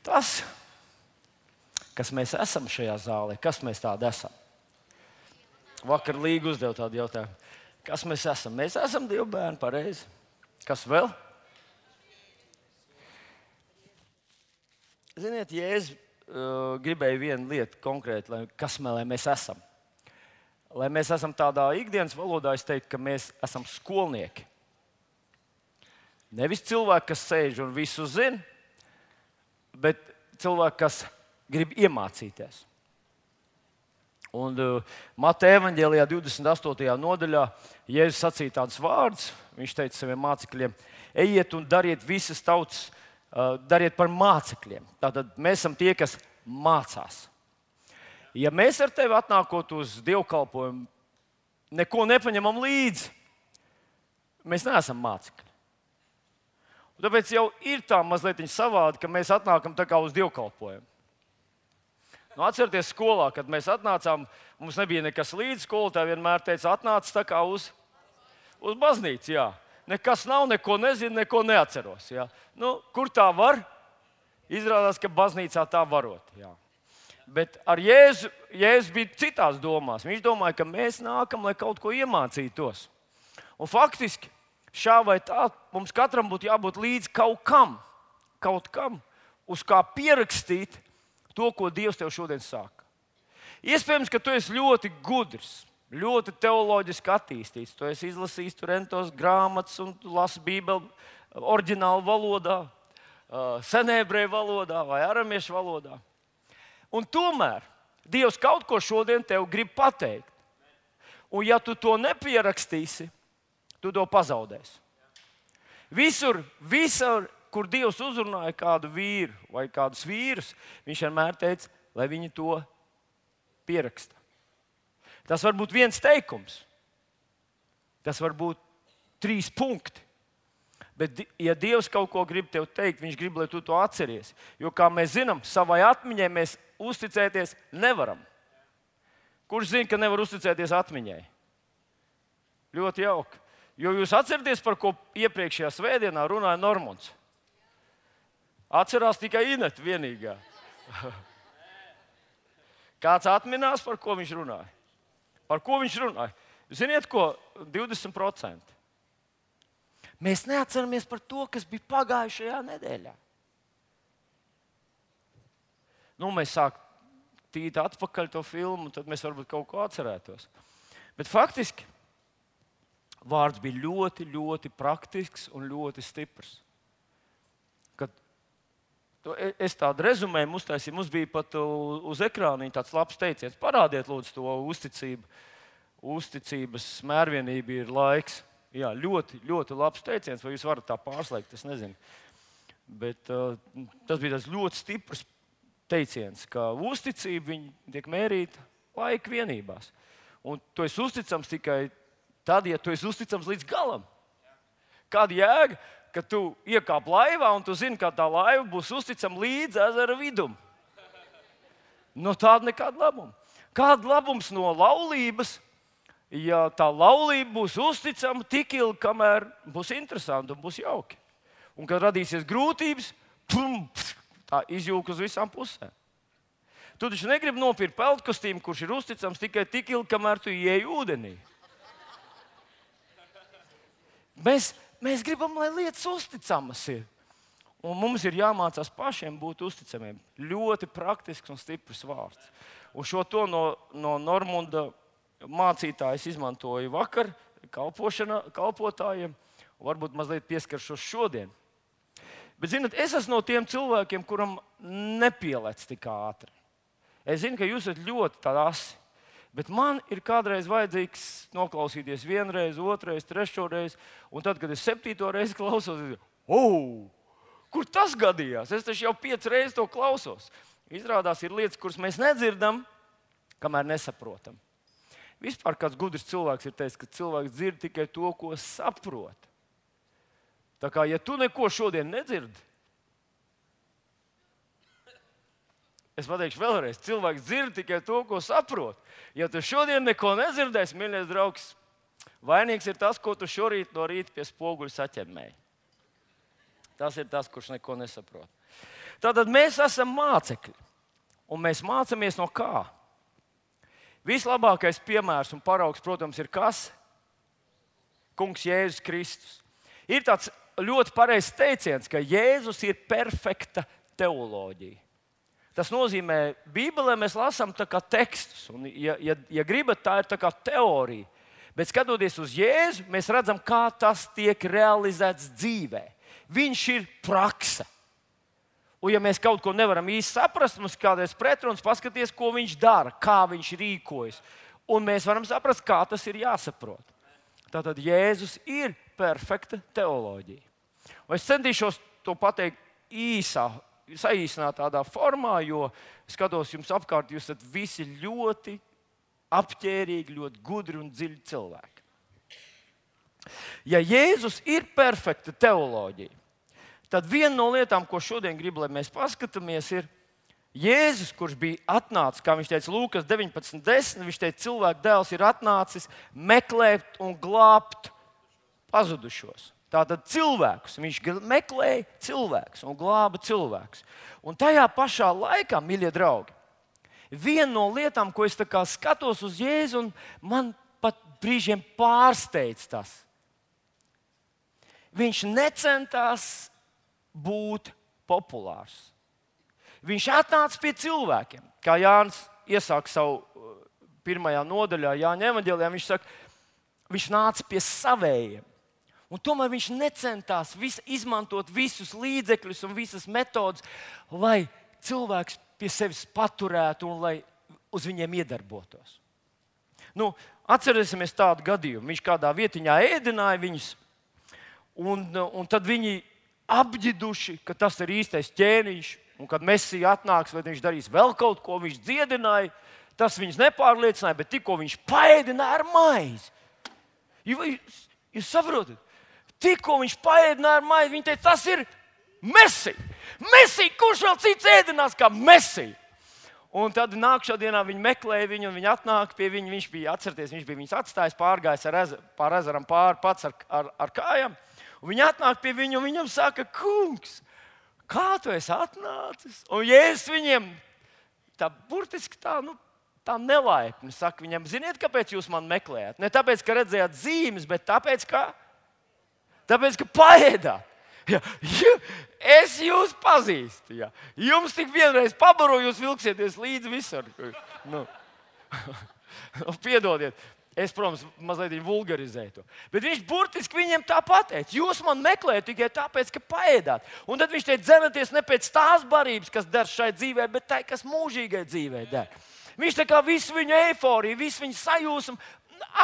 tas, kas mēs esam šajā zālē, kas mēs tādi esam. Vakar Līga uzdeva tādu jautājumu. Kas mēs esam? Mēs esam Dieva bērni, pareizi. Kas vēl? Ziniet, Jēzus gribēja vienu lietu konkrēti, kas mēs esam. Lai mēs esam tādā ikdienas valodā, es teiktu, ka mēs esam skolnieki. Nevis cilvēki, kas sēž un visu zina, bet cilvēki, kas grib iemācīties. Un Mateja evaņģēlijā 28. nodaļā Jēzus sacīja tādus vārdus. Viņš teica saviem mācekļiem: ejiet un dariet visas tautas, dariet par mācekļiem. Tātad mēs esam tie, kas mācās. Ja mēs ar tevi atnākot uz dievkalpojumu, neko nepaņemam līdzi, mēs neesam mācekļi. Un tāpēc jau ir tā mazliet savādi, ka mēs atnākam tā kā uz dievkalpojumu. Nu, atcerieties, skolā, kad mēs atnācām, mums nebija nekas līdzi. Skolotāji vienmēr teica, atnāc tā kā uz baznīcu. Jā. Nekas nav, neko nezinu, neko neatceros. Jā. Nu, kur tā var? Izrādās, ka baznīcā tā varot. Jā. Bet ar Jēzu bija citās domās. Viņš domāja, ka mēs nākam, lai kaut ko iemācītos. Un faktiski šā vai tā mums katram būtu jābūt līdz kaut kam, uz kā pierakstīt to, ko Dievs tev šodien saka. Iespējams, ka tu esi ļoti gudrs, ļoti teoloģiski attīstīts. Tu esi izlasījis rentos grāmatas un lasi Bībeli oriģinālu valodā, senēbrēju valodā vai aramiešu valodā. Un tomēr Dievs kaut ko šodien tev grib pateikt. Un ja tu to nepierakstīsi, tu to pazaudēsi. Visur, kur Dievs uzrunāja kādu vīru vai kādus vīrus, viņš vienmēr teica, lai viņi to pieraksta. Tas var būt viens teikums, tas var būt 3 punkti. Bet, ja Dievs kaut ko grib tev teikt, viņš grib, lai tu to atceries. Jo, kā mēs zinām, savai atmiņai mēs uzticēties nevaram. Kurš zina, ka nevar uzticēties atmiņai? Ļoti jauki. Jo jūs atceraties, par ko iepriekšējā svētdienā runāja Normons? Atcerās tikai Ineta vienīgā. Kāds atminās, par ko viņš runāja? Par ko viņš runāja? Ziniet, ko? 20%. Mēs neatceramies par to, kas bija pagājušajā nedēļā. Nu, mēs sākam tīt atpakaļ to filmu, tad mēs varbūt kaut ko atcerētos. Bet faktiski vārds bija ļoti, ļoti praktisks un ļoti stiprs. Kad es tādu rezumējumu uztaisīju, mums bija pat uz ekrāna tāds labs teiciens. Parādiet, lūdzu, to uzticību. Uzticības mērvienība ir laiks. Jā, ļoti, ļoti labs teiciens, vai jūs varat tā pārslēgt, es nezinu. Bet tas bija tas ļoti stiprs teiciens, ka uzticība tiek mērīta laika vienībās. Un tu esi uzticams tikai tad, ja tu esi uzticams līdz galam. Kāda jēga, ka tu iekāp laivā un tu zini, ka tā laiva būs uzticama līdz ezera vidum? No tāda nekāda labuma. Kāda labums no laulības, ja tā laulība būs uzticama tik ilgi, kamēr būs interesanti un būs jauki? Un kad radīsies grūtības, tā izjūg uz visām pusēm. Tu taču negribi nopirkt peltkostīmu, kurš ir uzticams tikai tik ilgi, kamēr tu ieej ūdenī. Mēs gribam, lai lietas uzticamas ir. Un mums ir jāmācās pašiem būt uzticamiem. Ļoti praktisks un stiprs vārds. Un šo to no Normunda mācītājs izmantoja vakar kalpotājiem. Varbūt mazliet pieskaršos šodien. Bet, zināt, es esmu no tiem cilvēkiem, kuram nepielec tik ātri. Es zinu, ka jūs esat ļoti asi. Bet man ir kādreiz vajadzīgs noklausīties 1 reizi, 2 reizi, 3 reizi. Un tad, kad es 7. reizi klausos, es domāju, kur tas gadījās? Es taču jau 5 reizes to klausos. Izrādās, ir lietas, kuras mēs nedzirdam, kamēr nesaprotam. Vispār kāds gudrs cilvēks ir teicis, ka cilvēks dzird tikai to, ko saprot. Tā kā, ja tu neko šodien nedzirdi, es pateikšu vēlreiz, cilvēks dzird tikai to, ko saprot. Ja tu šodien neko nedzirdēsi, mīļais draugs, vainīgs ir tas, ko tu šorīt no rīta pie spoguļa saķemmēji. Tas ir tas, kurš neko nesaprot. Tātad mēs esam mācekļi. Un mēs mācāmies no kā? Vislabākais piemērs un paraugs, protams, ir kas? Kungs Jēzus Kristus. Ir tāds ļoti pareizs teiciens, ka Jēzus ir perfekta teoloģija. Tas nozīmē, Bībelē mēs lasām tā kā tekstus, un, ja gribat, tā ir tā kā teorija. Bet skatoties uz Jēzu, mēs redzam, kā tas tiek realizēts dzīvē. Viņš ir prakse. Un, ja mēs kaut ko nevaram īsti saprast, mums kādreiz pretruns paskaties, ko viņš dara, kā viņš rīkojas. Un mēs varam saprast, kā tas ir jāsaprot. Tātad Jēzus ir perfekta teoloģija. Un es centīšos to pateikt saīsināt tādā formā, jo skatos jums apkārt, jūs esat visi ļoti apģērbīgi, ļoti gudri un dziļi cilvēki. Ja Jēzus ir perfekta teoloģija, tad viena no lietām, ko šodien gribu, lai mēs paskatāmies, ir Jēzus, kurš bija atnācis, kā viņš teica Lūkas 19.10, viņš teica, cilvēka dēls ir atnācis meklēt un glābt pazudušos. Tātad cilvēkus. Viņš meklēja cilvēkus un glāba cilvēkus. Un tajā pašā laikā, mīļie draugi, viena no lietām, ko es skatos uz Jēzu, un man pat brīžiem pārsteidz tas. Viņš necentās būt populārs. Viņš atnāca pie cilvēkiem. Kā Jānis iesāk savu pirmajā nodaļā, Jāņa evaņģēlijā, viņš saka, viņš nāca pie savējiem. Un tomēr viņš necentās izmantot visus līdzekļus un visas metodes, lai cilvēks pie sevis paturētu un lai uz viņiem iedarbotos. Atcerēsimies tādu gadījumu. Viņš kādā vietiņā ēdināja viņus, un tad viņi apģiduši, ka tas ir īstais ķēniņš, un kad Mesija atnāks, vai viņš darīs vēl kaut ko, viņš dziedināja, tas viņus nepārliecināja, bet tikko viņš paēdināja ar maizi. Jūs saprotat? Tikko viņš paēdināja ar maizi, viņi teica, tas ir Mesija. Mesija, kurš vēl cits ēdinās kā Mesija? Un tad nākamā dienā viņi meklēja viņu, un viņi atnāk pie viņa. Viņš bija viņus atstājis, pārgājis pār ezeram pāri pats ar kājām. Un viņi atnāk pie viņa, un viņam saka, kungs, kā tu esi atnācis? Un Jēzus viņiem burtiski tā nelaipni saka viņam, ziniet, kāpēc jūs man meklējat? Ne tāpēc, ka redzējāt zīmes, bet tāpēc, ka paēdāt. Ja, es jūs pazīstu. Ja. Jums tik vienreiz pabaroju, jūs vilksieties līdzi visur. Piedodiet, es, protams, mazliet vulgarizēju to. Bet viņš burtiski viņiem tā pateica. Jūs man meklējat tikai tāpēc, ka paēdāt. Un tad viņš teica, dzenaties ne pēc tās barības, kas der šai dzīvē, bet tai, kas mūžīgai dzīvē der. Viņš tā kā visu viņu eiforiju, visu viņu sajūsmu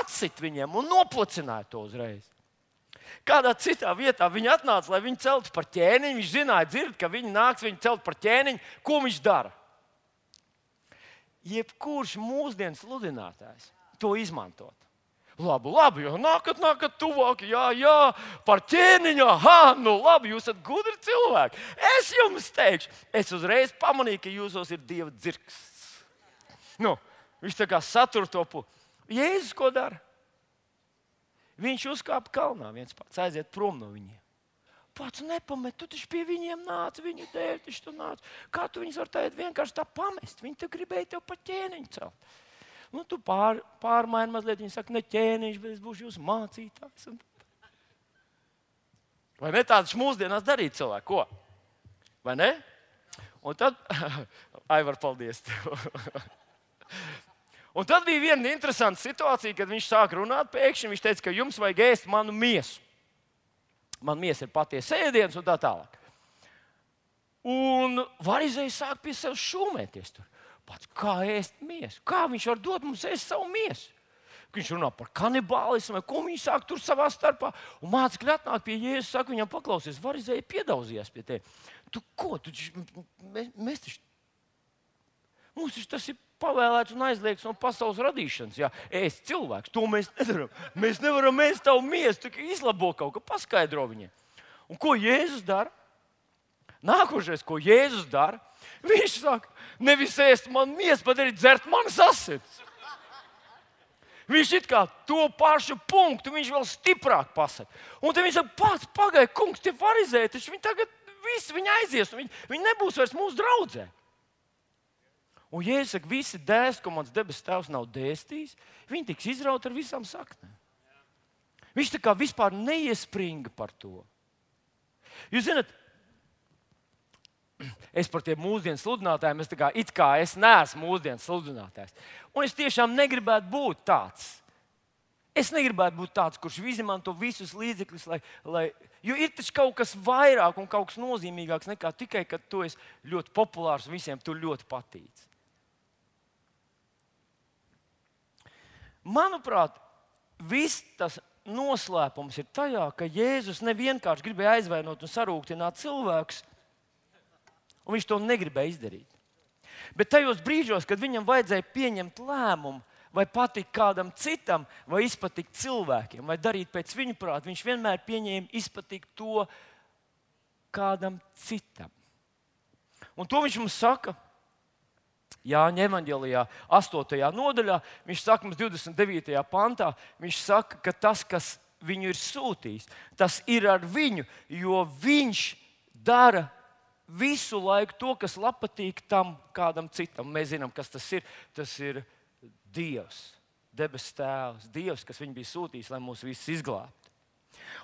atsit viņiem un noplicināja to uzreiz. Kādā citā vietā viņi atnāca, lai viņu celtu par ķēniņu. Viņš zināja, ka viņi nāks viņu celt par ķēniņu. Ko viņš dara? Jebkurš mūsdienu sludinātājs to izmantot. Labi, jo nākat tuvāk, jā, par ķēniņu, labi, jūs esat gudri cilvēki. Es jums teikšu, es uzreiz pamanīju, ka jūsos ir Dieva dzirksts. Viņš tā kā satur to pusi. Jēzus ko dara? Viņš uzkāpa kalnā viens pats, aiziet prom no viņiem. Pats nepamet, tu taču pie viņiem nāc, viņu dēļ taču tu nāc. Kā tu viņus var tagad vienkārši tā pamest? Viņi te gribēja tev pa ķēniņu celt. Tu pārmaini mazliet, viņi saka, ne ķēniņš, bet es būšu jūsu mācītājs. Vai ne tādas mūsdienās darīt cilvēku? Ko? Vai ne? Un tad, Aivar, paldies tev. Un tad bija viena interesanta situācija, kad viņš sāka runāt pēkšņi. Viņš teica, ka jums vajag ēst manu miesu. Man miesa ir patiesa ēdiens un tā tālāk. Un varizējs sāk pie sevis šūmēties tur. Pats, kā ēst miesu? Kā viņš var dot mums ēst savu miesu? Viņš runā par kanibālismu, ko viņi sāk tur savā starpā. Un mācekļi atnāk pie Jēzus, saka viņam, paklausies, varizēji piedauzījies pie tevi. Tu ko? Mums tas ir pavēlēts un aizliegts no pasaules radīšanas. Jā, ēst cilvēks, to mēs nedaram. Mēs nevaram ēst tavu miesu, tikai izlabo kaut ko, paskaidro viņiem. Un ko Jēzus dara? Nākošais, ko Jēzus dara, viņš saka, nevis ēst man miesu, bet arī dzert manas asinis. Viņš it kā to pašu punktu, viņš vēl stiprāk pasaka. Un tad viņš saka, pats pagaidi, kungs, tie varizēji, taču viņi tagad visi viņi aizies, un viņi nebūs vairs mūsu draudzē. Un Jēzus saka, visi dēsti, ko mans debesu Tēvs nav dēstījis, viņi tiks izrauti ar visām saknēm. Viņš tā kā vispār neiespringa par to. Jūs zināt, es par tiem mūsdienu sludinātājiem, es neesmu mūsdienu sludinātājs. Un es tiešām negribētu būt tāds. Es negribētu būt tāds, kurš izmanto visus līdzekļus, jo ir taču kaut kas vairāk un kaut kas nozīmīgāks nekā tikai, ka tu esi ļoti populārs un visiem tu ļoti patīc. Manuprāt, viss tas noslēpums ir tajā, ka Jēzus nevienkārši gribēja aizvainot un sarūktināt cilvēkus, un viņš to negribēja izdarīt. Bet tajos brīžos, kad viņam vajadzēja pieņemt lēmumu, vai patikt kādam citam, vai izpatikt cilvēkiem, vai darīt pēc viņa prāta, viņš vienmēr pieņēma izpatikt to kādam citam. Un to viņš mums saka Jāņa evanģelijā 8. nodaļā, viņš saka mums 29. pantā, viņš saka, ka tas, kas viņu ir sūtījis, tas ir ar viņu, jo viņš dara visu laiku to, kas patīk tam kādam citam. Mēs zinām, kas tas ir. Tas ir Dievs, debesu Tēvs, Dievs, kas viņu bija sūtījis, lai mūs visus izglābtu.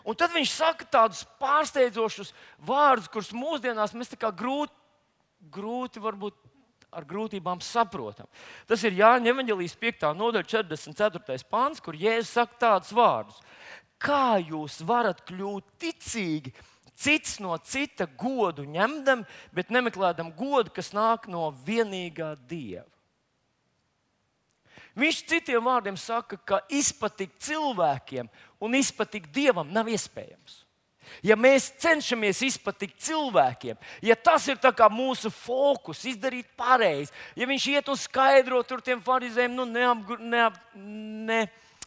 Un tad viņš saka tādus pārsteidzošus vārdus, kurus mūsdienās mēs tā kā grūti varbūt ar grūtībām saprotam. Tas ir Jāņa evanģelijas 5. nodaļa 44. pants, kur Jēzus saka tādus vārdus. Kā jūs varat kļūt ticīgi, cits no cita godu ņemdam, bet nemeklēdam godu, kas nāk no vienīgā Dieva? Viņš citiem vārdiem saka, ka izpatikt cilvēkiem un izpatikt Dievam nav iespējams. Ja mēs cenšamies izpatikt cilvēkiem, ja tas ir tā kā mūsu fokus, izdarīt pareizi, ja viņš iet un skaidro tur tiem farizējiem,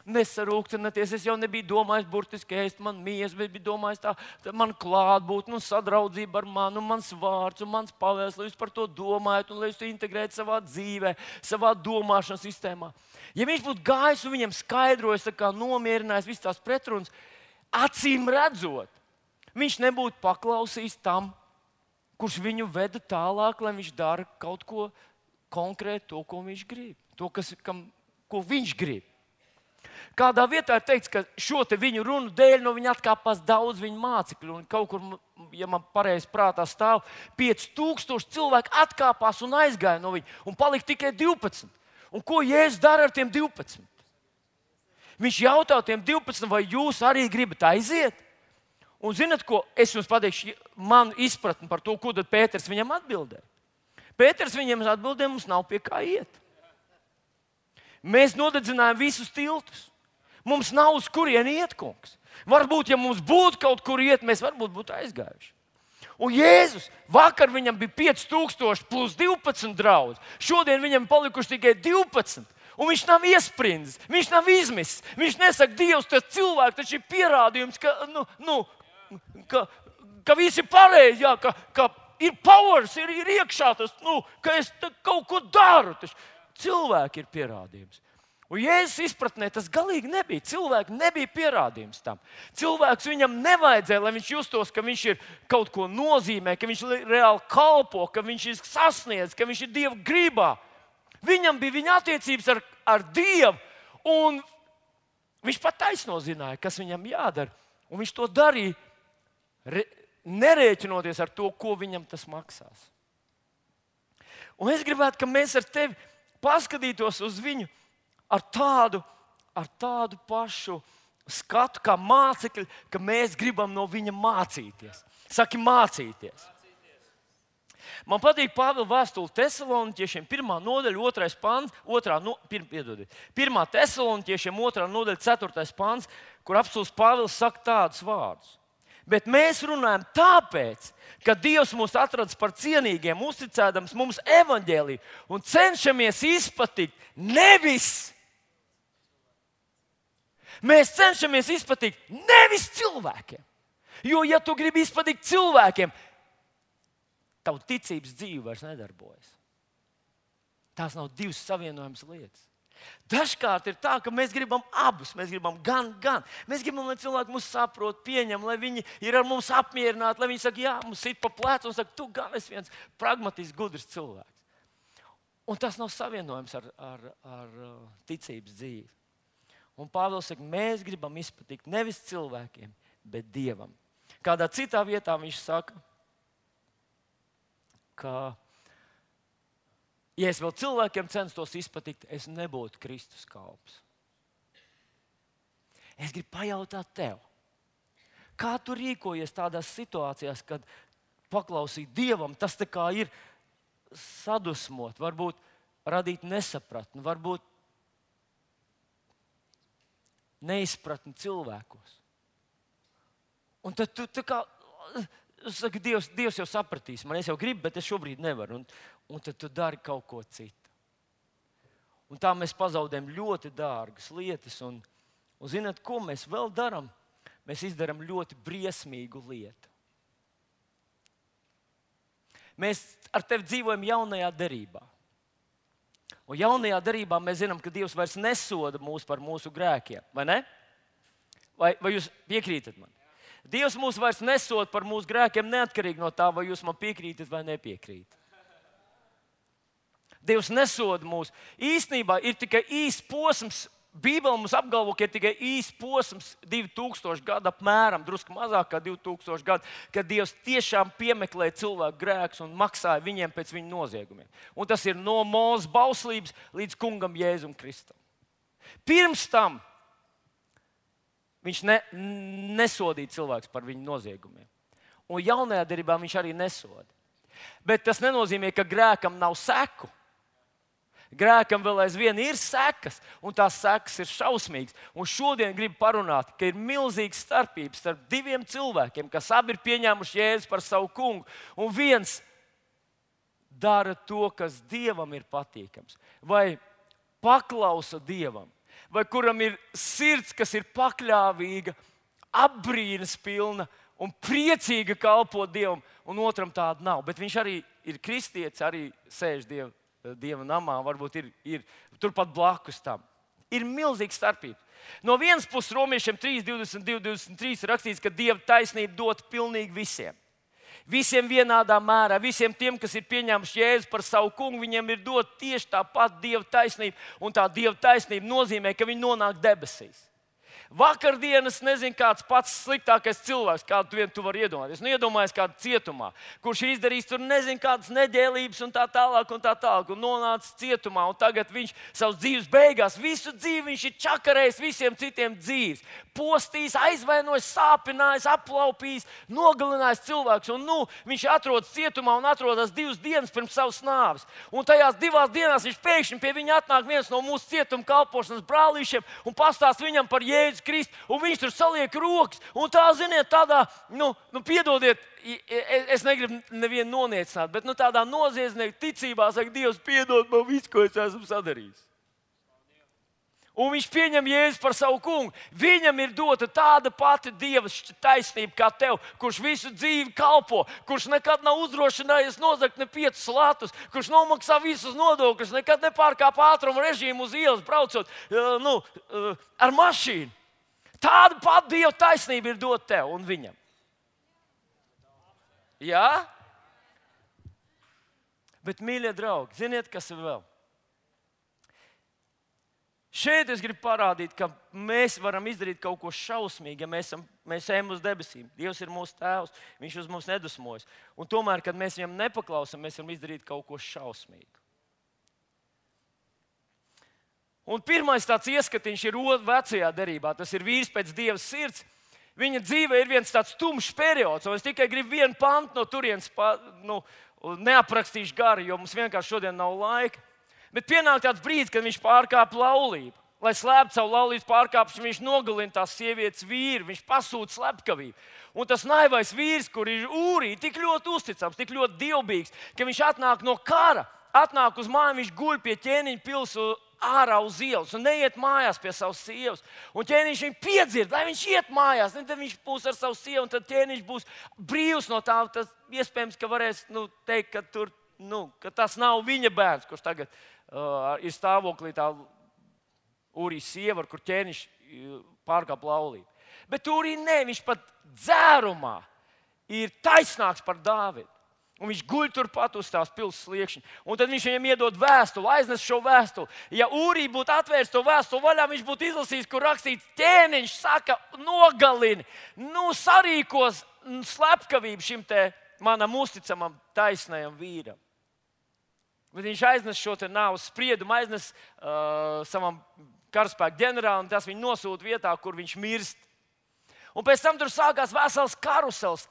nesarūktināties, es jau nebiju domājis burtiski ēst, man mījas, bet biju domājis tā man klātbūtne un sadraudzība ar mani, un mans vārds, un mans pavēles, lai jūs par to domājat, un lai jūs to integrētu savā dzīvē, savā domāšanas sistēmā. Ja viņš būtu gājis un viņam skaidrojis, tā kā nomierinājis visas tās pretrunas, acīm redzot, viņš nebūtu paklausījis tam, kurš viņu veda tālāk, lai viņš dara kaut ko konkrēti, to, ko viņš grib, ko viņš grib. Kādā vietā ir teikts, ka šo viņu runu dēļ no viņa atkāpās daudz viņa mācekļu. Un kaut kur, ja man pareizi prātā stāv, 5000 cilvēku atkāpās un aizgāja no viņa. Un palika tikai 12. Un ko Jēzus dara ar tiem 12? Viņš jautā tiem 12, vai jūs arī gribat aiziet? Un zināt, ko es jums pateikšu, manu izpratni par to, ko tad Pēters viņam atbildēja. Pēters viņam atbildēja, mums nav pie kā iet. Mēs nodedzinājām visus tiltus. Mums nav uz kurieni iet, kungs. Varbūt, ja mums būtu kaut kur iet, mēs varbūt būtu aizgājuši. Un Jēzus, vakar viņam bija 5000 plus 12 draugi. Šodien viņam palikuši tikai 12. Un viņš nav iesprindis, viņš nav izmisis. Viņš nesaka, Dievs, tas cilvēks taču ir pierādījums, ka viss ir pareizi, jā, ka ir powers, ir iekšā tas, ka es kaut ko daru. Taču cilvēki ir pierādījums. Un Jēzus izpratnē tas galīgi nebija. Cilvēki nebija pierādījums tam. Cilvēks viņam nevajadzēja, lai viņš justos, ka viņš ir kaut ko nozīmē, ka viņš reāli kalpo, ka viņš ir sasniedz, ka viņš ir Dieva gribā. Viņam bija viņa attiecības ar Dievu, un viņš pat taisno zināja, kas viņam jādara. Un viņš to darīja, nerēķinoties ar to, ko viņam tas maksās. Un es gribētu, ka mēs ar tevi paskatītos uz viņu ar tādu pašu skatu kā mācekļi, ka mēs gribam no viņa mācīties. Saki, mācīties. Man patīk Pāvila vēstule Tesaloniķiešiem 1. nodaļa, 2. pants, 1. Tesaloniķiešiem 2. nodaļa, 4. pants, kur apstults Pāvils saka tādus vārdus. Bet mēs runājam tāpēc, ka Dievs mūs atradis par cienīgiem, uzticēdams mums evaņģēliju un cenšamies izpatikt nevis. Mēs cenšamies izpatikt nevis cilvēkiem. Jo, ja tu gribi izpatikt cilvēkiem, tavu ticības dzīve vairs nedarbojas. Tās nav divas savienojamas lietas. Dažkārt ir tā, ka mēs gribam abus. Mēs gribam gan. Mēs gribam, lai cilvēki mūs saprot, pieņem, lai viņi ir ar mums apmierināti, lai viņi saka, jā, mums sit pa plecu un saka, tu gan esi viens pragmatisks, gudrs cilvēks. Un tas nav savienojams ar ticības dzīvi. Un Pāvils saka, mēs gribam izpatikt nevis cilvēkiem, bet Dievam. Kādā citā vietā viņš saka, ka, ja es vēl cilvēkiem censtos izpatikt, es nebūtu Kristus kalps. Es gribu pajautāt tev, kā tu rīkojies tādās situācijās, kad paklausīt Dievam, tas tā kā ir sadusmot, varbūt radīt nesapratni, varbūt neizpratni cilvēkos. Un tad tu tā kā saki, Dievs jau sapratīs man, es jau gribu, bet es šobrīd nevaru. Un tad tu dari kaut ko citu. Un tā mēs pazaudējam ļoti dārgas lietas. Un zināt, ko mēs vēl darām? Mēs izdarām ļoti briesmīgu lietu. Mēs ar tevi dzīvojam jaunajā derībā. Un jaunajā derībā mēs zinām, ka Dievs vairs nesoda mūs par mūsu grēkiem. Vai ne? Vai jūs piekrītat man? Dievs mūs vairs nesoda par mūsu grēkiem neatkarīgi no tā, vai jūs man piekrītat vai nepiekrītat. Dievs nesoda mūs. Īstenībā ir tikai īsts posms. Bībele mums apgalvo, ka ir tikai īsts posms 2000 gadu apmēram, drusku mazāk kā 2000 gadu, kad Dievs tiešām piemeklēja cilvēku grēkus un maksāja viņiem pēc viņu noziegumiem. Un tas ir no Mūzes bauslības līdz kungam Jēzum Kristum. Pirms tam viņš nesodīja cilvēkus par viņu noziegumiem. Un jaunajā derībā viņš arī nesoda. Bet tas nenozīmē, ka grēkam nav seku. Grēkam vēl aizvien ir sekas, un tās sekas ir šausmīgas. Un šodien gribu parunāt, ka ir milzīga starpība starp diviem cilvēkiem, kas abi ir pieņēmuši Jēzu par savu kungu. Un viens dara to, kas Dievam ir patīkams, vai paklausa Dievam, vai kuram ir sirds, kas ir pakļāvīga, apbrīnas pilna un priecīga kalpot Dievam, un otram tāda nav. Bet viņš arī ir kristietis, arī sēž Dieva namā, varbūt ir turpat blakus tam. Ir milzīga starpība. No vienas puses, Romiešiem 3:22-23 rakstīts, ka Dieva taisnība dot pilnīgi visiem. Visiem vienādā mērā, visiem tiem, kas ir pieņēmuši Jēzu par savu kungu, viņiem ir dot tieši tā pat Dieva taisnība. Un tā Dieva taisnība nozīmē, ka viņi nonāk debesīs. Vakardienas nezinu, kāds pats sliktākais cilvēks, kādu tu vari iedomāties. Iedomājies kādu cietumā, kurš ir izdarījis tur nezinu kādas neģēlības un tā tālāk, un nonācis cietumā. Un tagad viņš savas dzīves beigās, visu dzīvi viņš ir čakarējis visiem citiem dzīves. Postījis, aizvainojis, sāpinājis, aplaupījis, nogalinājis cilvēkus. Un viņš atrodas cietumā un atrodas 2 dienas pirms savas nāves. Un tajās 2 dienās viņš pēkšņi pie viņa atnāk viens no mūsu cietuma kalpošanas brālīšiem un pastāsta viņam par Jēzu Kristu, un viņš tur saliek rokas, un tā, ziniet, tādā, piedodiet, es negribu nevienu noniecināt, bet tādā noziedznieka ticībā saka, Dievs piedod man visu, ko es esmu sadarījis. Un viņš pieņem Jēzu par savu kungu. Viņam ir dota tāda pati Dieva taisnība kā tev, kurš visu dzīvi kalpo, kurš nekad nav uzdrošinājies nozagt ne 5 latus, kurš nomaksā visus nodokļus, nekad nepārkāp ātruma režīmu uz ielas, braucot ar mašīnu. Tāda pati Dieva taisnība ir dota tev un viņam. Jā? Bet, mīļie draugi, ziniet, kas ir vēl? Šeit es gribu parādīt, ka mēs varam izdarīt kaut ko šausmīgu, ja mēs ejam uz debesīm. Dievs ir mūsu tēvs, viņš uz mums nedusmojas. Un tomēr, kad mēs viņam nepaklausam, mēs varam izdarīt kaut ko šausmīgu. Un pirmais tāds ieskatiņš ir vecajā derībā. Tas ir vīrs pēc Dieva sirds. Viņa dzīve ir viens tāds tumšs periods. Un es tikai gribu vienu pantu no turienes neaprakstīšu gari, jo mums vienkārši šodien nav laika. Bet pienāk tāds brīdis, kad viņš pārkāpa laulību. Lai slēptu savu laulības pārkāpšanu, viņš nogalina tās sievietes vīru, viņš pasūta slepkavību. Un tas naivais vīrs, kur ir Ūrija, tik ļoti uzticams, tik ļoti dievbijīgs, ka viņš atnāk no kara, atnāk uz māju, viņš guļ pie ķēniņa pils ārā uz ielas un neiet mājās pie savas sievas. Un ķēniņš viņu piedzird, lai viņš iet mājās. Tad viņš būs ar savu sievu, un tad ķēniņš būs brīvs no tā. Tas iespējams, ka varēs teikt, ka, ka tas nav viņa bērns, kurš tagad ir stāvoklī tā Ūrijas sieva, ar kur ķēniņš pārkāpa laulību. Bet Ūrija ne, viņš pat dzērumā ir taisnāks par Dāvidu. Un viņš guļ turpat uz tās pilsētas sliekšņa. Un tad viņš viņam iedod vēstuli, aiznes šo vēstuli. Ja Ūrija būtu atvērs to vēstuli vaļā, viņš būtu izlasījis, kur rakstīts, ķēniņš saka, nogalini, sarīkos slepkavību šim te manam uzticamam taisnajam vīram. Bet viņš aiznes šo te nāves spriedumu, aiznes savam karaspēku ģenerālim, tas viņu nosūta vietā, kur viņš mirst. Un pēc tam tur sākās vesels karusels,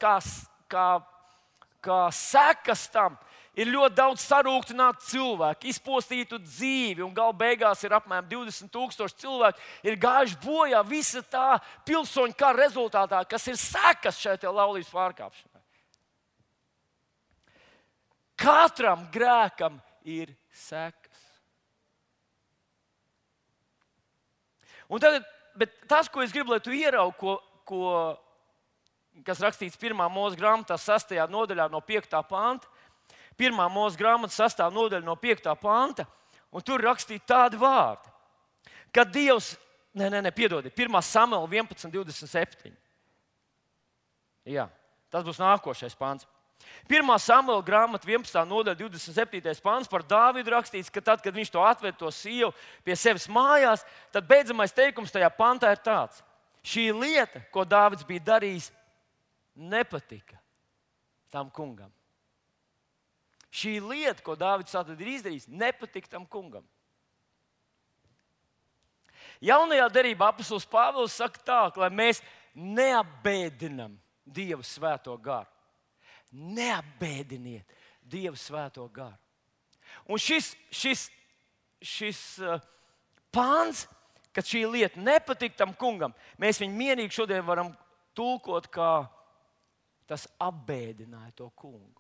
kā sekas tam. Ir ļoti daudz sarūktinātu cilvēku, izpostītu dzīvi, un gala beigās ir apmēram 20,000 cilvēku, ir gājuši bojā visa tā pilsoņu kara rezultātā, kas ir sekas šai laulības pārkāpšanai. Katram grēkam ir sekas. Un tagad, bet tas, ko es gribu, lai tu ieraugi, kas rakstīts 1. Mūzes grāmatā 6. nodaļā no 5. panta. 1. Mūzes grāmata 6. nodaļa no 5. panta, un tur rakstīts tādi vārdi, ka Dievs, piedodiet, 1. Samuela 11:27. Jā, tas būs nākošais pants. 1. Samuela grāmata 11. nodaļa 27. pants par Dāvidu rakstīts, ka tad, kad viņš to atved to sievu pie sevis mājās, tad beidzamais teikums tajā pantā ir tāds: šī lieta, ko Dāvids bija darījis, nepatika tam kungam. Šī lieta, ko Dāvids ir izdarījis, nepatika tam kungam. Jaunajā derībā apostols Pāvils saka tā, lai mēs neapbēdinam Dieva svēto garu. Neapbēdiniet Dieva svēto garu. Un šis pāns, kad šī lieta nepatika tam kungam, mēs viņu mierīgi šodien varam tulkot, kā tas apbēdināja to kungu.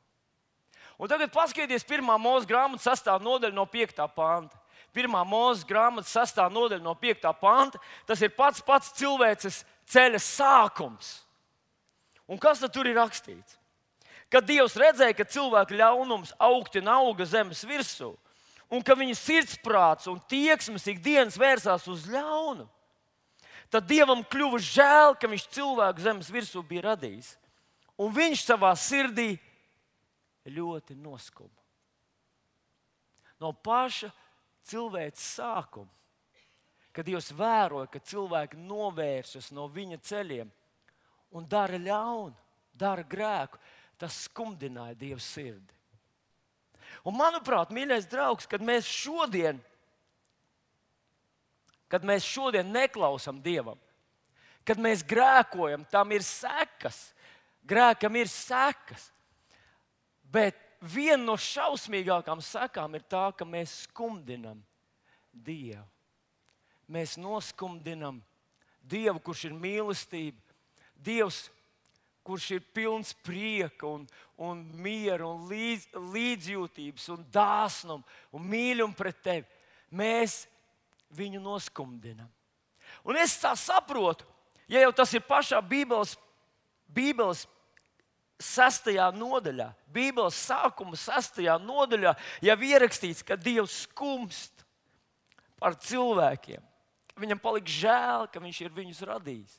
Un tagad paskatieties 1. Mūzes grāmatas 6. nodaļa no 5. panta. 1. Mūzes grāmatas 6. nodaļa no 5. panta. Tas ir pats cilvēces ceļa sākums. Un kas tad tur ir rakstīts? Kad Dievs redzēja, ka cilvēka ļaunums augtina auga zemes virsū, un ka viņa sirdsprāts un tieksmes ikdienas vērsās uz ļaunu, tad Dievam kļuva žēl, ka viņš cilvēku zemes virsū bija radījis. Un viņš savā sirdī ļoti noskuma. No paša cilvēces sākuma, kad Dievs vēroja, ka cilvēki novēršas no viņa ceļiem un dara ļaunu, dara grēku, tas skumdināja Dieva sirdi. Un manuprāt, mīļais draugs, kad mēs šodien neklausām Dievam, kad mēs grēkojam, tam ir sekas. Grēkam ir sekas. Bet viena no šausmīgākām sekām ir tā, ka mēs skumdinam Dievu. Mēs noskumdinam Dievu, kurš ir mīlestība, Dievs, kurš ir pilns prieka un miera un līdzjūtības un dāsnuma un mīluma pret tevi. Mēs viņu noskumdinam. Un es tā saprotu, ja jau tas ir pašā Bībeles 6. nodaļā, Bībeles sākuma 6. nodaļā, jau ierakstīts, ka Dievs skumst par cilvēkiem. Viņam palika žēl, ka viņš ir viņus radījis.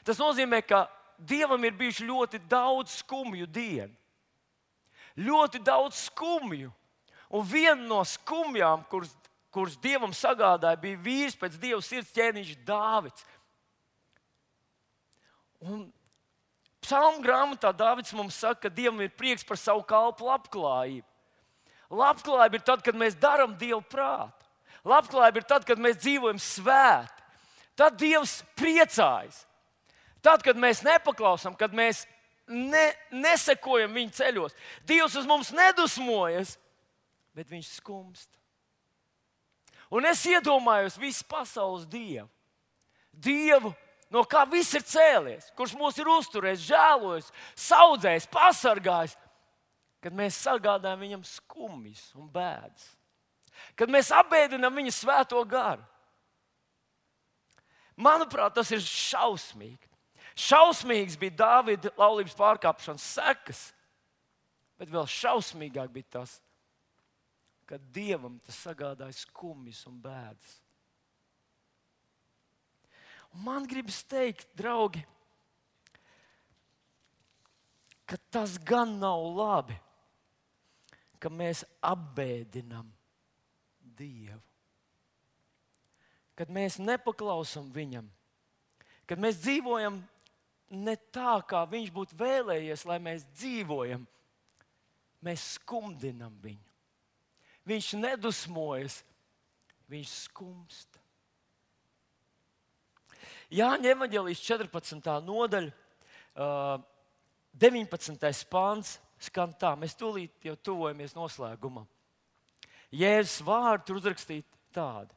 Tas nozīmē, ka Dievam ir bijuši ļoti daudz skumju dienu. Ļoti daudz skumju. Un viena no skumjām, kuras Dievam sagādāja, bija vīrs pēc Dieva sirds, ķēniņš Dāvids. Un Psalmu grāmatā Dāvids mums saka, ka Dievam ir prieks par savu kalpu labklājību. Labklājība ir tad, kad mēs darām Dievu prātu. Labklājība ir tad, kad mēs dzīvojam svēti. Tad Dievs priecājas. Tad, kad mēs nepaklausām, kad mēs nesekojam viņa ceļos, Dievs uz mums nedusmojas, bet viņš skumst. Un es iedomājos visu pasaules Dievu. Dievu, no kā viss ir cēlies, kurš mūs ir uzturējis, žēlojis, saudzējis, pasargājis, kad mēs sagādājam viņam skumjas un bēdas. Kad mēs apbēdinām viņa svēto garu. Manuprāt, tas ir šausmīgi. Šausmīgs bija Dāvida laulības pārkāpšanas sekas, bet vēl šausmīgāk bija tas, ka Dievam tas sagādāja skumjas un bēdas. Un man gribas teikt, draugi, ka tas gan nav labi, ka mēs apbēdinam Dievu. Kad mēs nepaklausam Viņam, kad mēs dzīvojam ne tā, kā Viņš būtu vēlējies, lai mēs dzīvojam, mēs skumdinam Viņu. Viņš nedusmojas, Viņš skumsta. Jāņa evaņģēlijas 14. nodaļa, 19. pāns skan tā. Mēs tūlīt jau tuvojamies noslēgumam. Jēzus vārdi tur uzrakstīti tādi.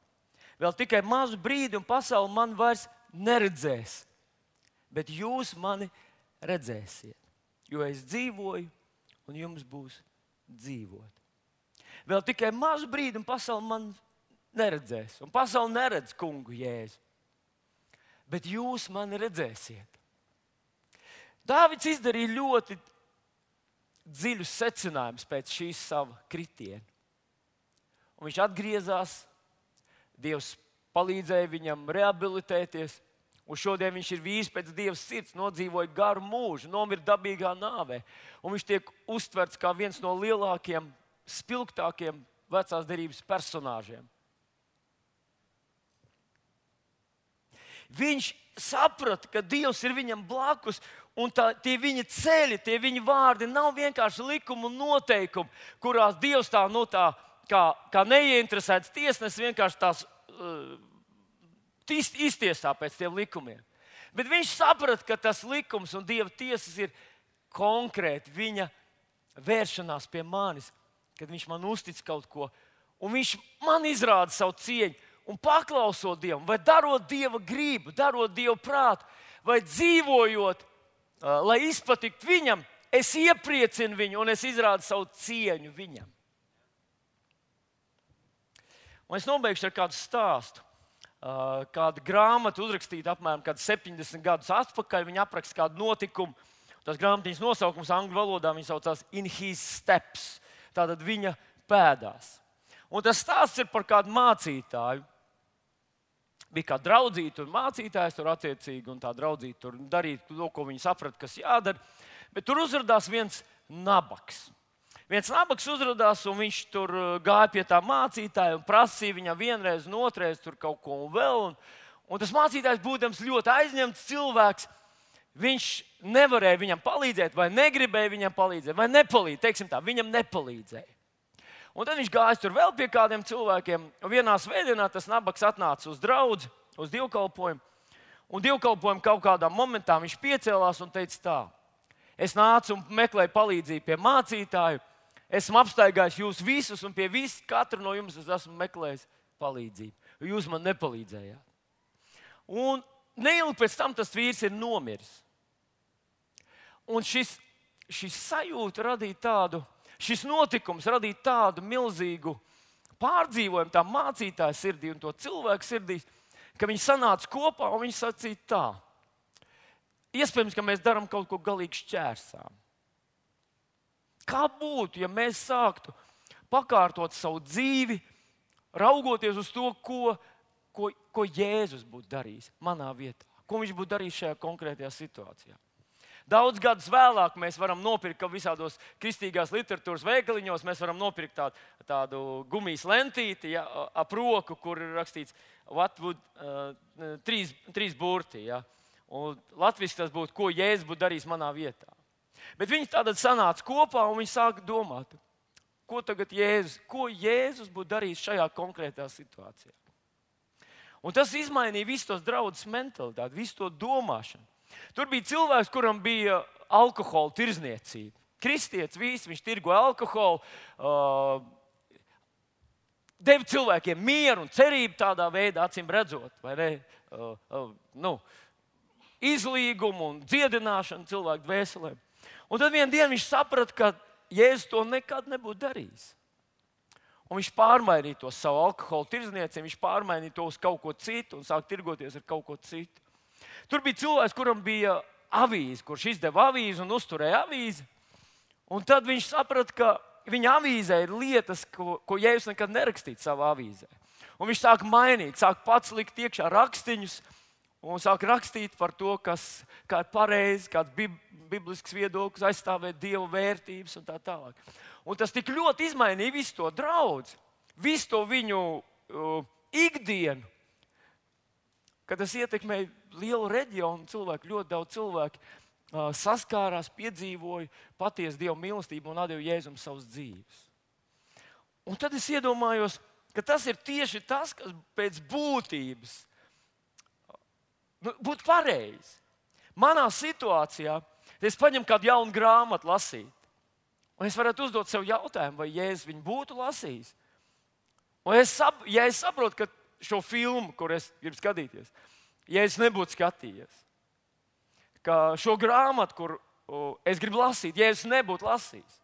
Vēl tikai mazu brīdi un pasaule mani vairs neredzēs, bet jūs mani redzēsiet, jo es dzīvoju un jums būs dzīvot. Vēl tikai mazu brīdi un pasaule mani neredzēs, un pasaule neredz kungu Jēzu, bet jūs mani redzēsiet. Dāvids izdarīja ļoti dziļus secinājumus pēc šīs sava kritiena. Un viņš atgriezās, Dievs palīdzēja viņam rehabilitēties, un šodien viņš ir vīrs pēc Dieva sirds, nodzīvoja garu mūžu, nomira dabīgā nāvē. Un viņš tiek uztverts kā viens no lielākiem, spilgtākiem vecās derības personāžiem. Viņš saprata, ka Dievs ir viņam blakus, un tie viņa ceļi, tie viņa vārdi nav vienkārši likumi un noteikumi, kurās Dievs tā kā neieinteresēts tiesnesis vienkārši tās iztiesā pēc tiem likumiem. Bet viņš saprata, ka tas likums un Dieva tiesas ir konkrēti viņa vēršanās pie manis, kad viņš man uztic kaut ko, un viņš man izrāda savu cieņu. Un paklausot Dievam, vai darot Dieva gribu, darot Dieva prātu, vai dzīvojot, lai izpatiktu Viņam, es iepriecinu Viņu un es izrādu savu cieņu Viņam. Un es nobeigšu ar kādu stāstu. Kāda grāmata uzrakstīta apmēram 70 gadus atpakaļ. Viņa apraksta kādu notikumu. Tās grāmatiņas nosaukums angļu valodā saucās In His Steps. Tātad viņa pēdās. Un tas stāsts ir par kādu mācītāju. Bija kāda draudzīta un mācītājs tur attiecīgi, un tā draudzīta tur darīja to, ko viņa saprata, kas jādara. Bet tur uzrādījās viens nabaks. Viens nabaks uzrādījās, un viņš tur gāja pie tā mācītāja un prasīja viņam vienreiz un otrreiz tur kaut ko un vēl. Un tas mācītājs, būdams ļoti aizņemts cilvēks, viņš nevarēja viņam palīdzēt, vai negribēja viņam palīdzēt, vai nepalīdzēja. Teiksim tā, viņam nepalīdzēja. Un tad viņš gāja tur vēl pie kādiem cilvēkiem. Un vienā svētdienā tas nabaks atnāca uz draudzi, uz dievkalpojumu. Un dievkalpojumu kaut kādā momentā viņš piecēlās un teica tā: es nācu un meklēju palīdzību pie mācītāju. Esmu apstaigājis jūs visus, un pie katra no jums es esmu meklējis palīdzību. Jūs man nepalīdzējāt. Un neilgi pēc tam tas vīrs ir nomiris. Un šis sajūta radīja tādu, šis notikums radīja tādu milzīgu pārdzīvojumu tā mācītāja sirdī un to cilvēku sirdī, ka viņi sanāca kopā un viņi sacīja tā: iespējams, ka mēs darām kaut ko galīgi šķērsām. Kā būtu, ja mēs sāktu pakārtot savu dzīvi, raugoties uz to, ko Jēzus būtu darījis manā vietā, ko viņš būtu darījis šajā konkrētajā situācijā. Daudz gadus vēlāk mēs varam nopirkt visādos kristīgās literatūras veikaliņos, mēs varam nopirkt tādu gumijas lentīti, ja, ap roku, kur ir rakstīts what would, trīs burti. Ja. Un latviski tas būtu, ko Jēzus būtu darījis manā vietā. Bet viņi tātad sanāca kopā un viņi sāka domāt, ko Jēzus būtu darījis šajā konkrētā situācijā. Un tas izmainīja visu tos draudzes mentalitāti, visu to domāšanu. Tur bija cilvēks, kuram bija alkohola tirdzniecība. Kristietis visi, viņš tirgoja alkoholu, deva cilvēkiem mieru un cerību tādā veidā, acīm redzot, vai ne? Izlīgumu un dziedināšanu cilvēku dvēselēm. Un tad vienā dienā viņš saprata, ka Jēzus to nekad nebūtu darījis. Un viņš pārmainīja to savu alkohola tirdzniecību, viņš pārmainīja to uz kaut ko citu un sāka tirgoties ar kaut ko citu. Tur bija cilvēks, kuram bija avīze, kurš izdeva avīzi un uzturēja avīzi. Un tad viņš saprata, ka viņa avīzē ir lietas, ko Jēzus nekad nerakstītu savā avīzē. Un viņš sāk mainīt, sāk pats likt iekšā rakstiņus un sāk rakstīt par to, kā ir pareizi, kāds biblisks viedoklis, aizstāvēt Dieva vērtības un tā tālāk. Un tas tik ļoti izmainīja visu to draudzi, visu to viņu ikdienu, ka tas ietekmēja lielu reģionu cilvēku, ļoti daudz cilvēku saskārās, piedzīvoja patiesu Dieva mīlestību un atdeva Jēzum savas dzīves. Un tad es iedomājos, ka tas ir tieši tas, kas pēc būtības būtu pareizi. Manā situācijā, ja es paņemu kādu jaunu grāmatu lasīt, un es varētu uzdot sev jautājumu, vai Jēzus viņu būtu lasījis. Un ja es saprotu, ka šo filmu, kur es gribu skatīties, Jēzus nebūtu skatījies, ka šo grāmatu, kur es gribu lasīt, Jēzus nebūtu lasījis,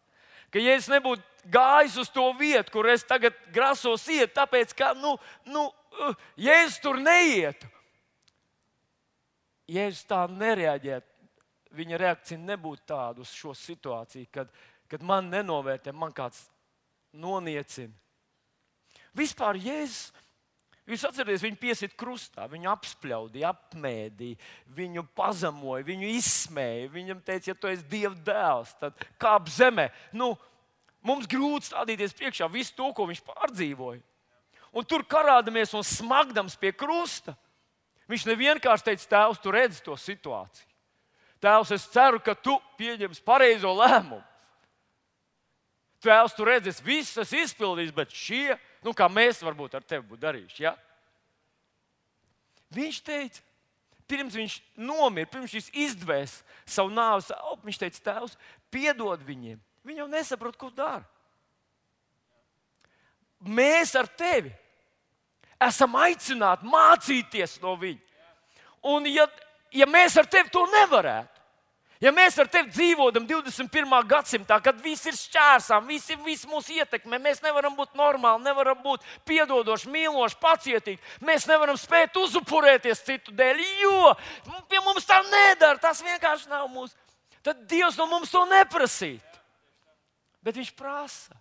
ka Jēzus nebūtu gājis uz to vietu, kur es tagad grasos iet, tāpēc, ka Jēzus tur neietu. Jēzus tā nereaģētu. Viņa reakcija nebūtu tāda uz šo situāciju, kad man nenovērtē, man kāds noniecina. Vispār Jēzus, jūs atcerieties, viņu piesita krustā, viņu apspļaudīja, apmēdīja, viņu pazemoja, viņu izsmēja. Viņam teica, ja tu esi Dieva dēls, tad kāp zemē. Mums grūti stādīties priekšā visu to, ko viņš pārdzīvoja. Un tur karādamies un smagdams pie krusta. Viņš nevienkārši teica, tēvs, tu redzi to situāciju. Tēvs, es ceru, ka tu pieņemsi pareizo lēmumu. Tēvs, tu redzi, es visu esmu izpildījis, bet šie, kā mēs varbūt ar tevi būtu darījuši. Ja? Viņš teica, pirms viņš nomira, pirms viņš izdvēs savu nāves elpu, viņš teica, tēvs, piedod viņiem. Viņi jau nesaprot, ko dara. Mēs ar tevi esam aicināti mācīties no viņa. Un ja mēs ar tevi to nevarētu, ja mēs ar tevi dzīvodam 21. gadsimtā, kad viss ir šķērsām, viss mūs ietekmē, mēs nevaram būt normāli, nevaram būt piedodoši, mīloši, pacietīgi, mēs nevaram spēt uzupurēties citu dēļ, jo pie mums tā nedara, tas vienkārši nav mūsu. Tad Dievs no mums to neprasītu. Bet viņš prasa,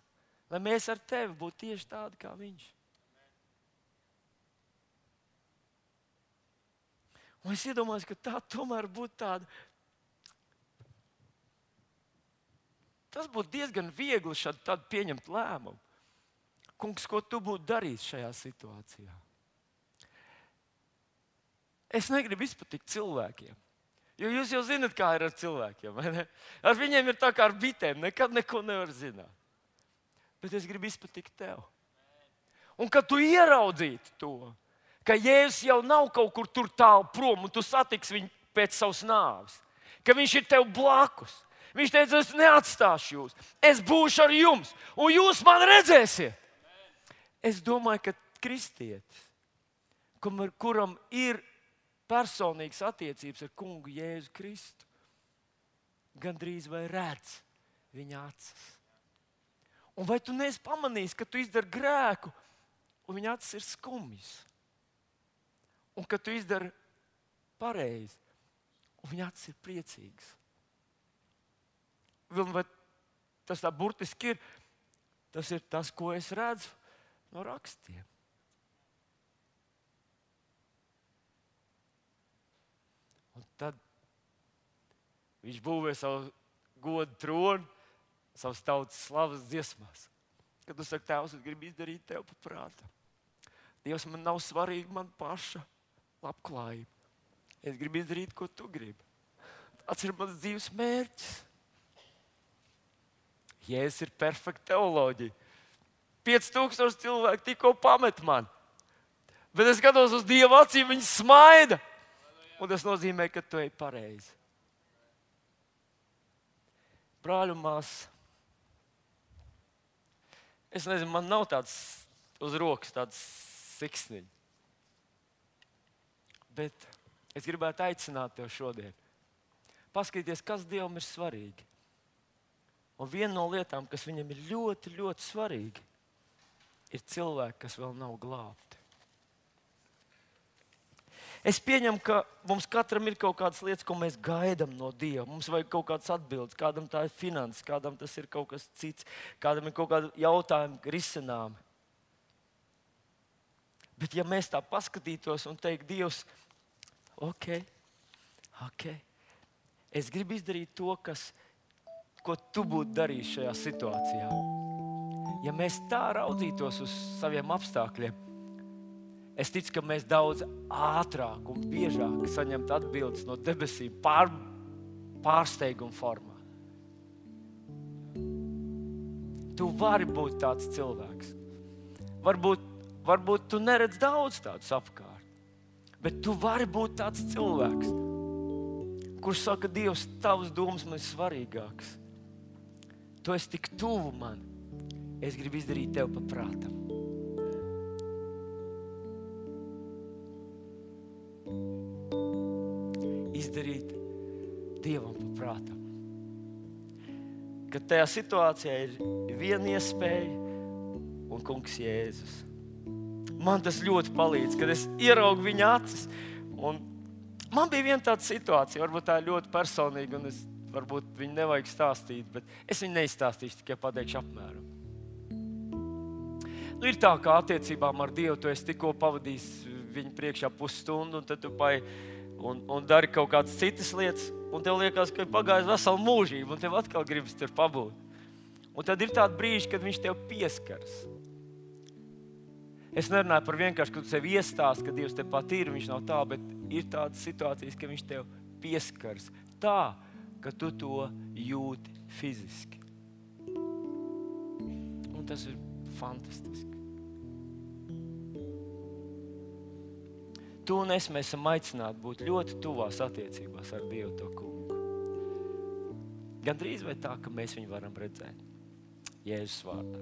lai mēs ar tevi būtu tieši tādi kā viņš. Un es iedomājos, ka tā tomēr būtu tāda. Tas būtu diezgan viegli šādi pieņemt lēmumu. Kungs, ko tu būtu darījis šajā situācijā? Es negribu izpatikt cilvēkiem. Jo jūs jau zināt, kā ir ar cilvēkiem. Vai ne? Ar viņiem ir tā kā ar bitēm. Nekad neko nevar zināt. Bet es gribu izpatikt tev. Un kad tu ieraudzītu to, ka Jēzus jau nav kaut kur tur tālu prom, un tu satiksi viņu pēc savas nāves, ka viņš ir tev blakus. Viņš teica, es neatstāšu jūs, es būšu ar jums, un jūs man redzēsiet. Es domāju, ka kristietis, kuram ir personīgas attiecības ar kungu Jēzu Kristu, gandrīz vai redz viņa acis. Un vai tu neesi pamanījis, ka tu izdari grēku, un viņa acis ir skumjas? Un ka tu izdari pareizi, un viņa acis ir priecīgas. Vai tas tā burtiski ir? Tas ir tas, ko es redzu no rakstiem. Un tad viņš būvē savu godu tronu, savas tautas slavas dziesmās. Kad tu saki, tēvs, es gribu izdarīt tev pa prātam. Dievs, man nav svarīgi man paša labklājība. Es gribu izdarīt, ko tu gribi. Tas ir mans dzīves mērķis. Jēzus ir perfekta teoloģija. 5000 cilvēku tikko pamet man. Bet es skatos uz Dieva acīm, viņi smaida. Un tas nozīmē, ka tu ej pareizi. Brāļu māsas, es nezinu, man nav tāds uz rokas, tāds siksniņš. Bet es gribētu aicināt tev šodien. Paskatīties, kas Dievam ir svarīgi. Un viena no lietām, kas viņam ir ļoti, ļoti svarīgi, ir cilvēki, kas vēl nav glābti. Es pieņemu, ka mums katram ir kaut kādas lietas, ko mēs gaidām no Dieva. Mums vajag kaut kādas atbildes. Kādam tā ir finanses, kādam tas ir kaut kas cits, kādam ir kaut kādi jautājumi risināmi. Bet ja mēs tā paskatītos un teiktu, Dievs, ok, es gribu izdarīt to, ko tu būtu darījis šajā situācijā. Ja mēs tā raudzītos uz saviem apstākļiem, es ticu, ka mēs daudz ātrāk un biežāk saņemtu atbildes no debesīm pārsteiguma formā. Tu vari būt tāds cilvēks. Varbūt tu neredz daudz tādus apkārt, bet tu vari būt tāds cilvēks, kurš saka, Dievs, tavas domas man ir svarīgākas. Tu esi tik tuvu man. Es gribu izdarīt tev pa prātam. Izdarīt Dievam pa prātam. Kad tajā situācijā ir viena iespēja un Kungs Jēzus. Man tas ļoti palīdz, kad es ieraugu viņa acis. Un man bija viena tāda situācija, varbūt tā ir ļoti personīga, un varbūt viņu nevajag stāstīt, bet es viņu neizstāstīšu, tikai pateikšu apmēram. Ir tā, kā attiecībām ar Dievu tu esi tikko pavadījis viņu priekšā pusstundu, un tad tu un dari kaut kādas citas lietas, un tev liekas, ka ir pagājis vesela mūžība, un tev atkal gribas tur pabūt. Un tad ir tādi brīži, kad viņš tev pieskaras. Es nerunāju par vienkārši, ka tu sev iestāsti, ka Dievs tepat ir, viņš nav tā, bet ir tādas situācijas, ka viņš tev pieskaras tā, ka tu to jūti fiziski. Un tas ir fantastiski. Tu un es, mēs esam aicināti būt ļoti tuvās attiecībās ar Dievu to kungu. Gan drīz vai tā, ka mēs viņu varam redzēt. Jēzus vārdā.